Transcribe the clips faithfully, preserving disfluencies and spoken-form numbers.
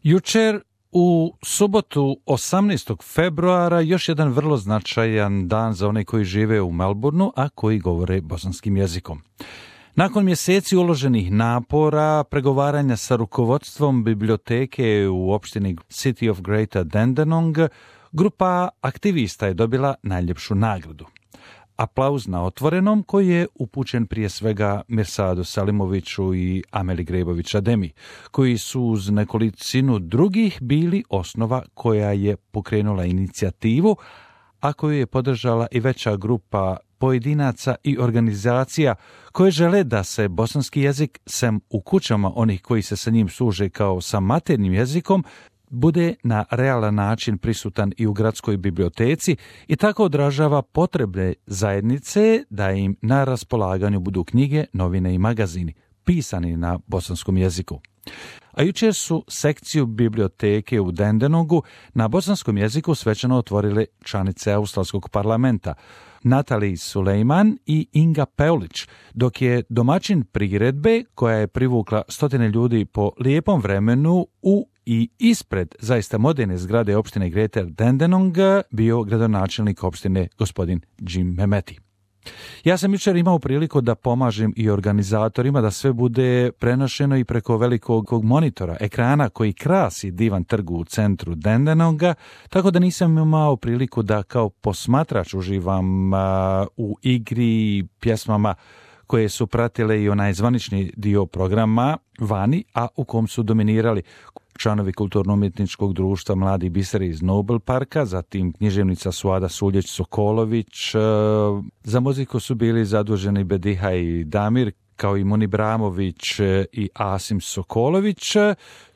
Jučer u subotu osamnaestog februara još jedan vrlo značajan dan za one koji žive u Melbourneu, a koji govore bosanskim jezikom. Nakon mjeseci uloženih napora, pregovaranja sa rukovodstvom biblioteke u opštini City of Greater Dandenong, grupa aktivista je dobila najljepšu nagradu. Aplauz na otvorenom koji je upućen prije svega Mirsadu Salimoviću i Ameli Grebović-Ademi, koji su uz nekolicinu drugih bili osnova koja je pokrenula inicijativu, a koju je podržala i veća grupa pojedinaca i organizacija koje žele da se bosanski jezik, sem u kućama onih koji se sa njim služe kao sa maternjim jezikom, bude na realan način prisutan i u gradskoj biblioteci i tako odražava potrebe zajednice da im na raspolaganju budu knjige, novine i magazini, pisani na bosanskom jeziku. A jučer su sekciju biblioteke u Dandenongu na bosanskom jeziku svečano otvorile članice Australskog parlamenta, Natalie Sulejman i Inga Peulić, dok je domaćin priredbe, koja je privukla stotine ljudi po lijepom vremenu u i ispred zaista moderne zgrade opštine Greater Dandenong, bio gradonačelnik opštine gospodin Jim Mehmeti. Ja sam jučer imao priliku da pomažem i organizatorima da sve bude prenošeno i preko velikog monitora, ekrana koji krasi divan trg u centru Dandenonga, tako da nisam imao priliku da kao posmatrač uživam a, u igri i pjesmama koje su pratile i onaj zvanični dio programa vani, a u kom su dominirali članovi kulturno-umjetničkog društva Mladi biseri iz Nobel parka, zatim književnica Suada Suljeć-Sokolović, za muziku su bili zaduženi Bediha i Damir, kao i Muni Bramović i Asim Sokolović,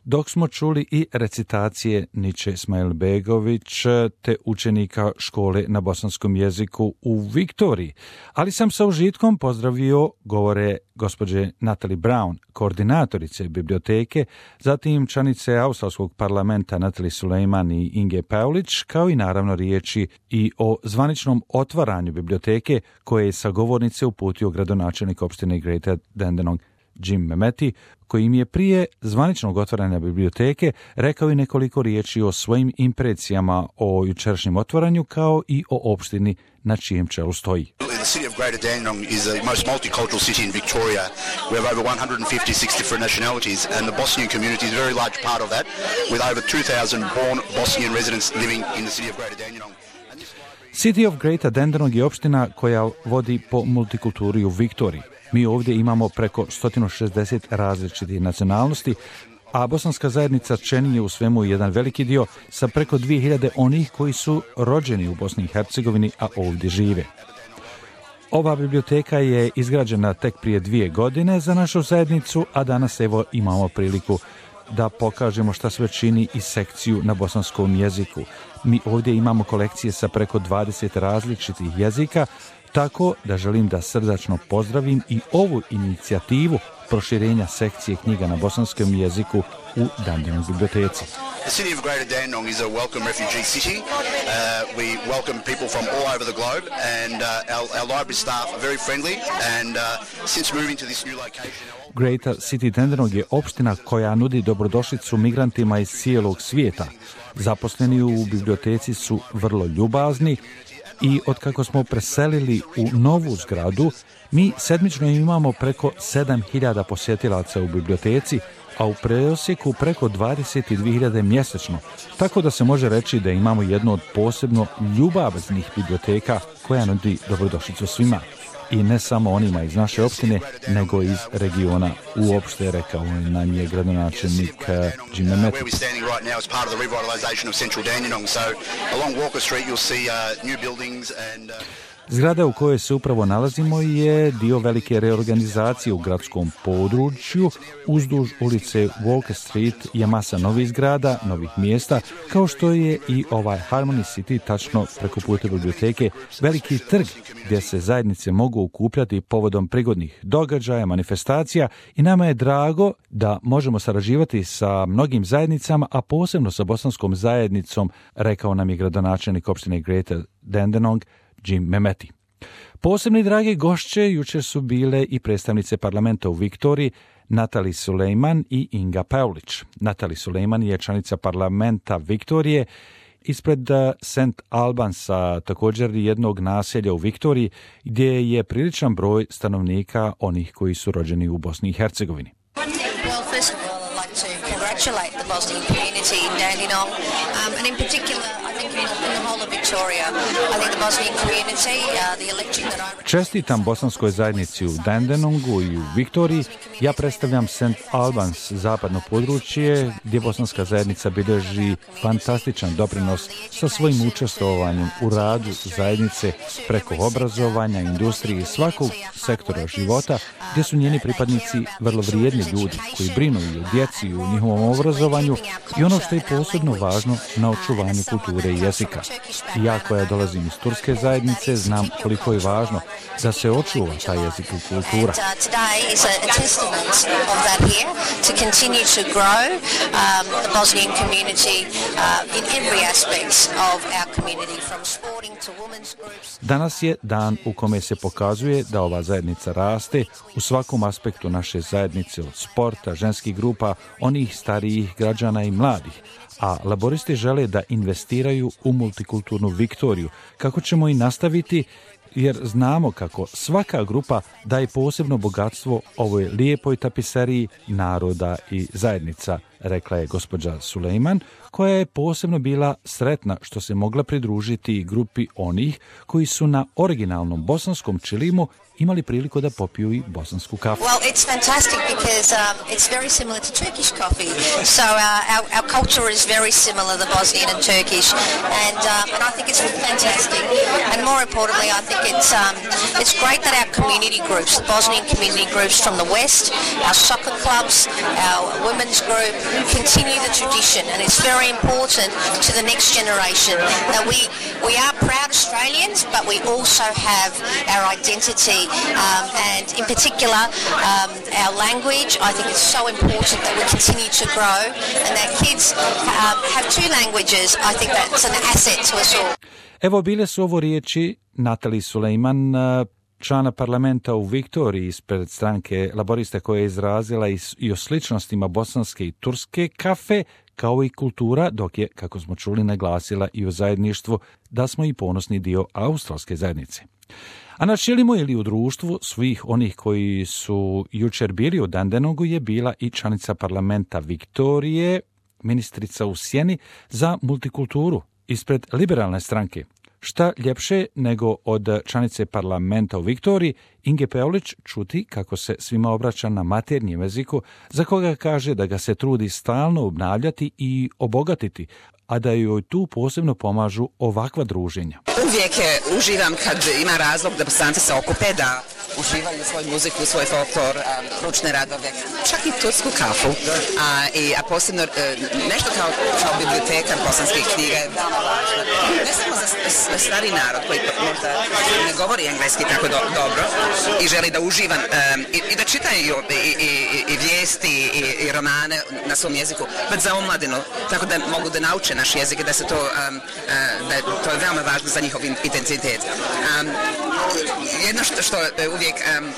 dok smo čuli i recitacije Niče Smajlbegović te učenika škole na bosanskom jeziku u Viktoriji. Ali sam sa užitkom pozdravio govore gospođe Natalie Brown, koordinatorice biblioteke, zatim članice Australskog parlamenta Natalie Sulejman i Inge Peulić, kao i naravno riječi i o zvaničnom otvaranju biblioteke koje je sa govornice uputio gradonačelnik opštine Greater Dandenong Jim Mehmeti, koji im je prije zvaničnog otvaranja biblioteke rekao i nekoliko riječi o svojim impresijama o jučerašnjem otvaranju, kao i o opštini na čijem čelu stoji. The city of Greater Dandenong is the most multicultural city in Victoria. We have over one hundred fifty-six different nationalities, and the Bosnian community is a very large part of that, with over two thousand born Bosnian residents living in the city of Greater Dandenong. City of Greater Dandenong je opština koja vodi po multikulturi u Viktoriji. Mi ovdje imamo preko sto šezdeset različitih nacionalnosti, a bosanska zajednica čini je u svemu jedan veliki dio sa preko dvije hiljade onih koji su rođeni u Bosni i Hercegovini, a ovdje žive. Ova biblioteka je izgrađena tek prije dvije godine za našu zajednicu, a danas evo imamo priliku da pokažemo šta sve čini i sekciju na bosanskom jeziku. Mi ovdje imamo kolekcije sa preko dvadeset različitih jezika, tako da želim da srdačno pozdravim i ovu inicijativu proširenja sekcije knjiga na bosanskom jeziku u Dandenong biblioteci. The city of Greater Dandenong is a welcome refugee city. Uh, we welcome people from all over the globe, and uh, our, our library staff are very friendly, and uh, since moving to this new location... Greater City Dandenong je opština koja nudi dobrodošlicu migrantima iz cijelog svijeta. Zaposleni u biblioteci su vrlo ljubazni i otkako smo preselili u novu zgradu, mi sedmično imamo preko sedam hiljada posjetilaca u biblioteci, a u prosjeku preko dvadeset dvije hiljade mjesečno, tako da se može reći da imamo jednu od posebno ljubaznih biblioteka koja nudi dobrodošlicu svima. I ne samo onima iz naše opštine, nego iz regiona uopšte, rekao nam je gradonačelnik Jim Mehmeti. Zgrada u kojoj se upravo nalazimo je dio velike reorganizacije u gradskom području. Uzduž ulice Walker Street je masa novih zgrada, novih mjesta, kao što je i ovaj Harmony City, tačno preko puta biblioteke, veliki trg gdje se zajednice mogu okupljati povodom prigodnih događaja, manifestacija, i nama je drago da možemo sarađivati sa mnogim zajednicama, a posebno sa bosanskom zajednicom, rekao nam je gradonačelnik opštine Greater Dandenong Jim Mehmeti. Posebni dragi gošće jučer su bile i predstavnice parlamenta u Viktoriji, Natali Sulejman i Inga Pavlić. Natali Sulejman je članica parlamenta Viktorije ispred Saint Albansa, također jednog naselja u Viktoriji, gdje je priličan broj stanovnika onih koji su rođeni u Bosni i Hercegovini. Well, first of all, I'd like to congratulate the Bosnian community in Dandenong, um, and in particular, I think in, in the whole of Victoria. I think the Bosnian community, uh, the election that I... Čestitam bosanskoj zajednici u Dandenongu i u Viktoriji. Ja predstavljam Saint Albans, zapadno područje, gdje bosanska zajednica bilježi fantastičan doprinos sa svojim učestvovanjem u radu zajednice preko obrazovanja, industrije i svakog sektora života, gdje su njeni pripadnici vrlo vrijedni ljudi koji brinu i o djeci i u njihovom obrazovanju i ono što je posebno važno, na očuvanju kulture i jezika. I ja koja dolazim iz turske zajednice znam koliko je važno da se očuva taj jezik i kultura. Danas je dan u kome se pokazuje da ova zajednica raste u svakom aspektu naše zajednice, od sporta, ženskih grupa, onih starijih građana i mladih, a laboristi žele da investiraju u multikulturnu Viktoriju, kako ćemo i nastaviti, jer znamo kako svaka grupa daje posebno bogatstvo ovoj lijepoj tapiseriji naroda i zajednica, rekla je gospođa Sulejman, koja je posebno bila sretna što se mogla pridružiti grupi onih koji su na originalnom bosanskom čilimu imali priliku da popiju i bosansku kafu. Well, it's fantastic because um, it's very similar to Turkish coffee. So uh, our, our culture is very similar, the Bosnian and Turkish, and um, and I think it's fantastic. And more importantly, I think it's um, it's great that our community groups, the Bosnian community groups from the west, our soccer clubs, our women's group, continue the tradition, and it's very important to the next generation that we we are proud Australians, but we also have our identity. Um, and in particular, um, our language, I think it's so important that we continue to grow and that kids um, have two languages. I think that's an asset to us all. Evo bile su ovo riječi Natali Sulejman, člana parlamenta u Viktoriji ispred stranke Laborista, koja je izrazila i o sličnostima bosanske i turske kafe, kao i kultura, dok je, kako smo čuli, naglasila i o zajedništvu da smo i ponosni dio australske zajednice. A na čilimu ili u društvu svih onih koji su jučer bili u Dandenongu je bila i članica parlamenta Viktorije, ministrica u sjeni za multikulturu ispred liberalne stranke. Šta ljepše nego od članice parlamenta u Viktoriji Inge Pavlić čuti kako se svima obraća na maternjem jeziku, za koga kaže da ga se trudi stalno obnavljati i obogatiti, a da joj tu posebno pomažu ovakva druženja. Uvijek uživam kad ima razlog da Bosanci se okupe, da uživaju svoju muziku, svoj folklor, ručne radove, čak i tursku kafu. A, i, a posebno nešto kao, kao biblioteka bosanskih knjiga je veoma važno. Ne samo za, za stari narod koji možda ne govori engleski tako do, dobro i želi da uživa um, i, i da čitaju i, i, i, i vijesti i, i romane na svom jeziku, već za omladinu, tako da mogu da nauče naš jezik i da se to, um, uh, da to je veoma važno za njihov identitet. Um, jedno što, što uvijek um, um,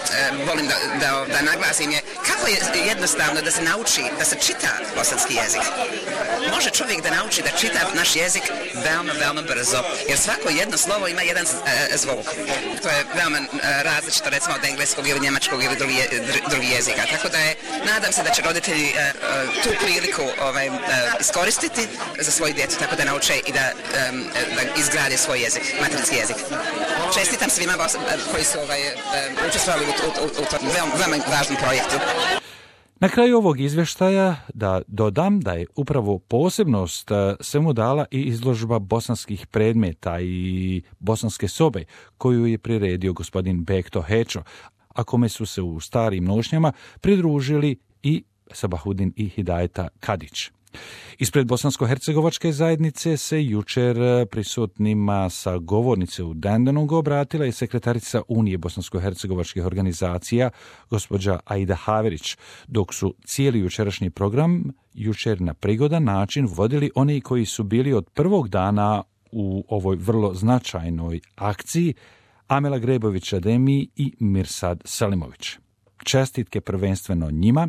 volim da, da, da naglasim je kako je jednostavno da se nauči, da se čita bosanski jezik. Može čovjek da nauči da čita naš jezik veoma, veoma brzo, jer svako jedno slovo ima jedan uh, zvuk. To je veoma uh, različito, recimo od engleskog ili njemačkog ili drugi, drugi jezika. Tako da je, nadam se da će roditelji uh, uh, tu priliku ovaj, uh, iskoristiti za svoju djecu, tako da nauče i da, um, da izgrade svoj jezik, materinski jezik. Čestitam svima koji su ovaj, učestvovali u, u, u, u tom veoma, veoma važnom projektu. Na kraju ovog izvještaja da dodam da je upravo posebnost svemu dala i izložba bosanskih predmeta i bosanske sobe koju je priredio gospodin Bekto Hečo, a kome su se u starim nošnjama pridružili i Sabahudin i Hidajeta Kadić. Ispred bosansko-hercegovačke zajednice se jučer prisutnima sa govornice u Dandenongu obratila i sekretarica Unije bosansko-hercegovačkih organizacija, gospođa Aida Haverić, dok su cijeli jučerašnji program jučer na prigodan način vodili oni koji su bili od prvog dana u ovoj vrlo značajnoj akciji, Amela Grebović-Ademi i Mirsad Selimović. čestitke prvenstveno njima,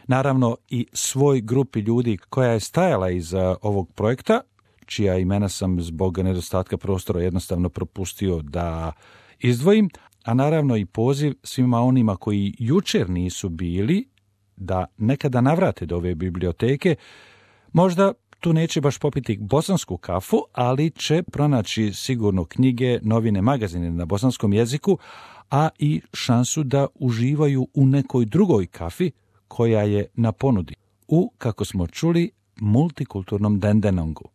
naravno i svoj grupi ljudi koja je stajala iza ovog projekta, čija imena sam zbog nedostatka prostora jednostavno propustio da izdvojim, a naravno i poziv svima onima koji jučer nisu bili da nekada navrate do ove biblioteke. Možda tu neće baš popiti bosansku kafu, ali će pronaći sigurno knjige, novine, magazine na bosanskom jeziku, a i šansu da uživaju u nekoj drugoj kafi koja je na ponudi u, kako smo čuli, multikulturnom Dendenongu.